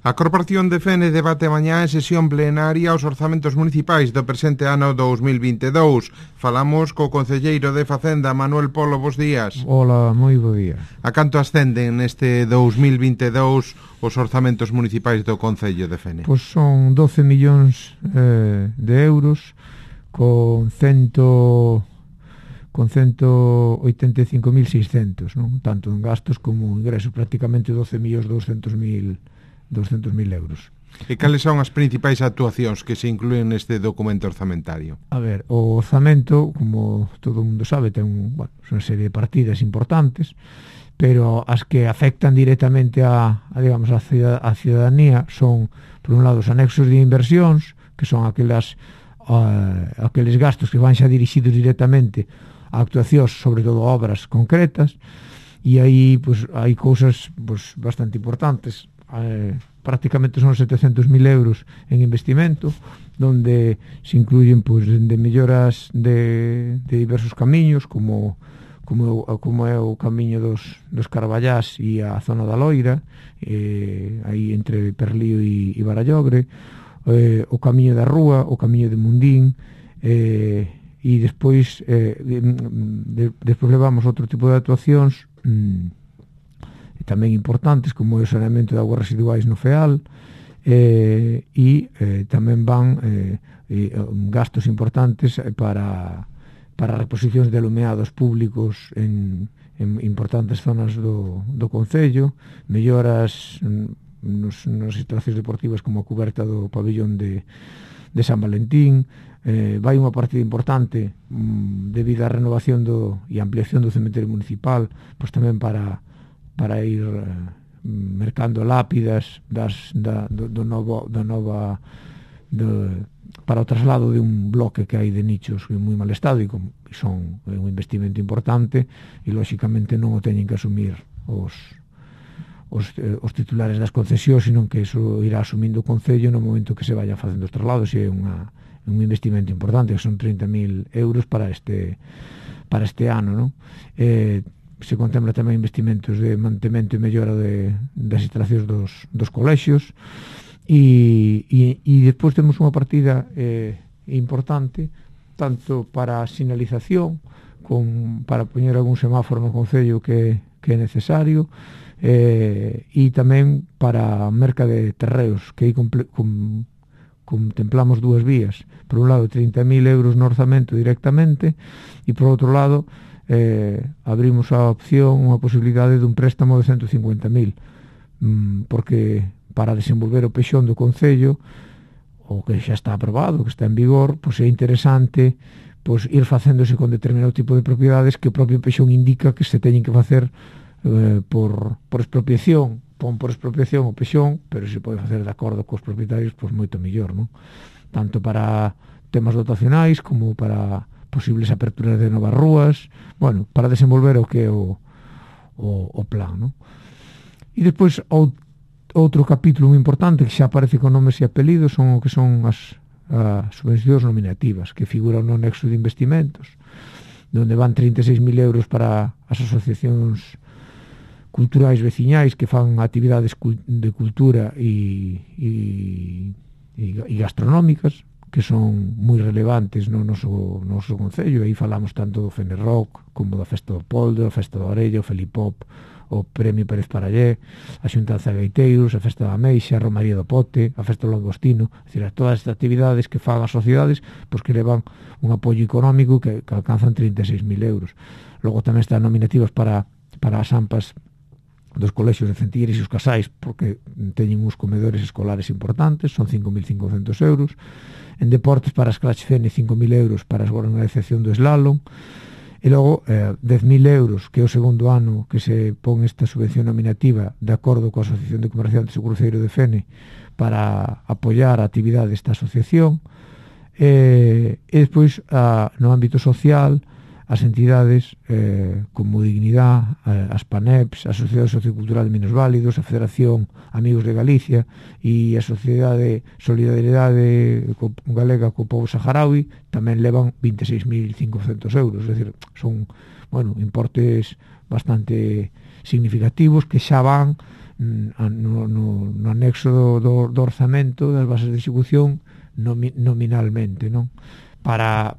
A Corporación de Fene debate mañá en sesión plenaria os orzamentos municipais do presente ano 2022. Falamos co concelleiro de Facenda, Manuel Polo, bos días. Hola, moi bo día. A canto ascenden neste 2022 os orzamentos municipais do Concello de Fene? Pois son 12 millóns de euros con 185.600, non? Tanto en gastos como en ingresos, prácticamente 12.200.000 euros. E cales son as principais actuacións que se inclúen neste documento orzamentario? A ver, o orzamento, como todo o mundo sabe, ten unha serie de partidas importantes, pero as que afectan directamente a ciudadanía son, por un lado, os anexos de inversións, que son aqueles gastos que van xa dirixidos directamente a actuacións, sobre todo obras concretas, e aí hai cousas bastante importantes. Prácticamente son 700.000 euros en investimento, donde se incluyen de melloras de diversos camiños, como é o camiño dos Carballás e a zona da Loira, aí entre Perlío e Barallogre, o camiño da Rúa, o camiño de Mundín, e despois levamos outro tipo de actuacións tamén importantes, como o saneamento de augas residuais no FEAL, e tamén van gastos importantes para reposicións de alumeados públicos en importantes zonas do Concello, melloras nas instalacións deportivas como a cuberta do pabillón de San Valentín. Vai unha partida importante debido á renovación e ampliación do cementerio municipal, pois tamén para ir mercando lápidas para o traslado de un bloque que hai de nichos en moi mal estado, e son un investimento importante, e lóxicamente non o teñen que asumir os titulares das concesións, sino que eso irá asumindo o Concello no momento que se vaya facendo os traslados, e é un investimento importante, que son 30.000 euros para este ano, non? Se contempla tamén investimentos de mantemento e mellora das instalacións dos colexios, e despois temos unha partida importante tanto para a sinalización para poñer algún semáforo no Concello que é necesario, e tamén para a merca de terreos, que aí contemplamos dúas vías. Por un lado, 30.000 euros no orzamento directamente, e por outro lado abrimos a opción, unha posibilidade dun préstamo de 150.000, porque para desenvolver o pexón do Concello, o que xa está aprobado, que está en vigor, pois é interesante ir facéndose con determinado tipo de propiedades que o propio pexón indica que se teñen que facer por expropiación. Pon por expropiación o pexón, pero se pode facer de acordo cos propietarios, pois moito mellor, non? Tanto para temas dotacionais como para posibles aperturas de novas rúas, para desenvolver o que é o plan, non? E despois outro capítulo moi importante que xa aparece con nomes e apelidos son o que son as subvencións nominativas, que figuran no anexo de investimentos, donde van 36.000 euros para as asociacións culturais veciñais que fan actividades de cultura e gastronómicas, que son moi relevantes no noso Concello. Aí falamos tanto do Fenerrock como da Festa do Poldo, a Festa do Orello, o Felipop, o Premio Pérez Parallé, a Xuntanza de Gaiteiros, a Festa da Ameixa, a Romaría do Pote, a Festa do Langostino. É dicir, todas estas actividades que fan as sociedades, pois que levan un apoio económico que alcanzan 36.000 euros. Logo tamén están nominativas para as AMPAs dos colexios de Centilleres e os casais, porque teñen uns comedores escolares importantes, son 5.500 euros. En deportes, para as Crash Fene, 5.000 euros para a organización do slalom, e logo 10.000 euros, que é o segundo ano que se pon esta subvención nominativa de acordo coa Asociación de Comerciantes do Cruceiro de Fene, para apoiar a actividade desta asociación, e despois no ámbito social, as entidades como Dignidad, as PANEPs, a Sociedade Sociocultural de Minusválidos, a Federación Amigos de Galicia e a Sociedade Solidaridade Galega co Pobo Saharaui tamén levan 26.500 euros. É dicir, son importes bastante significativos que xa van no anexo do orzamento das bases de execución nominalmente, non? Para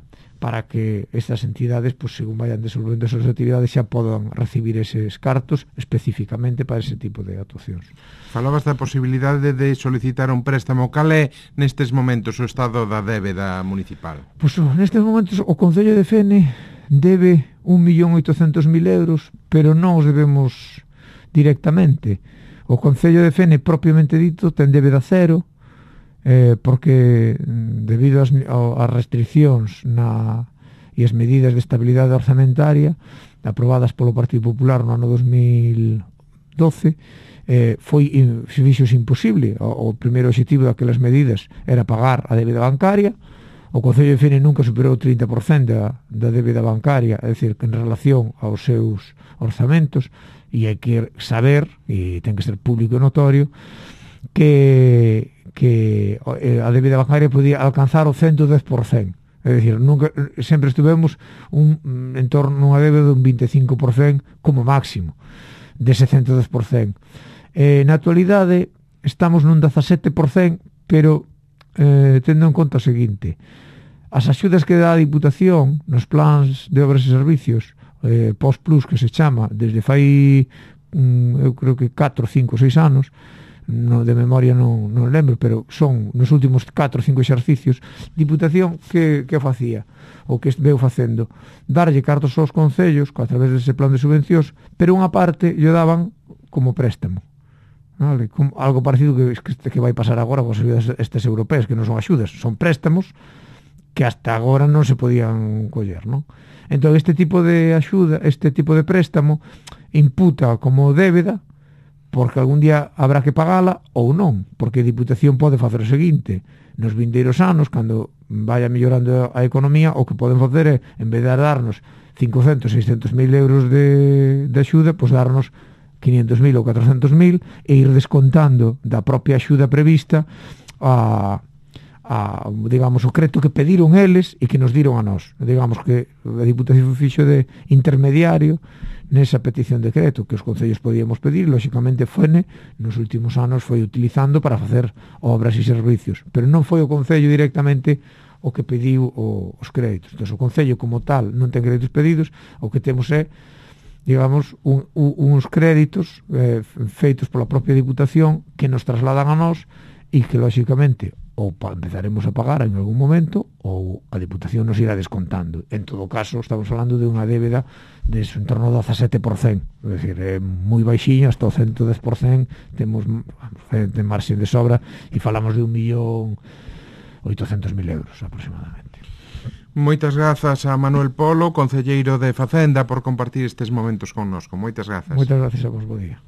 que estas entidades, pues, según vayan desenvolvendo as súas actividades, xa podan recibir eses cartos especificamente para ese tipo de actuacións. Falabas da posibilidade de solicitar un préstamo. Cal é nestes momentos o estado da débeda municipal? Pois nestes momentos o Concello de Fene debe 1.800.000 euros, pero non os debemos directamente. O Concello de Fene, propiamente dito, ten débeda cero, porque debido ás restriccións e as medidas de estabilidade orzamentaria aprobadas polo Partido Popular no ano 2012, fixose imposible. O primeiro objetivo daquelas medidas era pagar a débeda bancaria. O Concello de Fene nunca superou o 30% da débeda bancaria, é dicir, que en relación aos seus orzamentos, e hai que saber, e ten que ser público e notorio, que a débeda bancaria podía alcanzar o 110%. É dicir, sempre estivemos en torno a unha débeda dun 25% como máximo dese 110%. Na actualidade estamos nun 17%, pero tendo en conta o seguinte: as axudas que dá a Diputación nos plans de obras e servicios post-plus, que se chama, desde fai eu creo que 4, 5, 6 anos, de memoria non lembro, pero son nos últimos 4 ou 5 exercicios, Diputación que facía, o que veu facendo, darlle cartos aos concellos a través dese plan de subvencións, pero unha parte lle daban como préstamo, vale? Algo parecido que vai pasar agora con as axudas estas europeas, que non son axudas, son préstamos que hasta agora non se podían coller, non? Entón, este tipo de axuda, este tipo de préstamo, imputa como débeda, porque algún día habrá que pagala ou non, porque a Diputación pode facer o seguinte: nos vindeiros anos, cando vaya mellorando a economía, o que poden facer é, en vez de darnos 500, 600.000 euros de axuda, pois darnos 500.000 ou 400.000 e ir descontando da propia axuda prevista digamos, o crédito que pediron eles e que nos diron a nós. Digamos que a Diputación fixo de intermediario nesa petición de crédito que os concellos podíamos pedir. Lóxicamente, Fene nos últimos anos foi utilizando para facer obras e servicios, pero non foi o concello directamente o que pediu os créditos. Entón, o concello como tal non ten créditos pedidos, o que temos é, digamos, uns créditos feitos pola propia Diputación que nos trasladan a nós e que, lóxicamente, ou empezaremos a pagar en algún momento ou a Diputación nos irá descontando. En todo caso, estamos falando de unha débeda de en torno ao 17%, é dicir, é moi baixiño, hasta o 110% temos de marxen de sobra, e falamos de 1.800.000 euros aproximadamente. Moitas grazas a Manuel Polo, concelleiro de Facenda, por compartir estes momentos connosco. Moitas grazas. Moitas grazas a vos, bo día.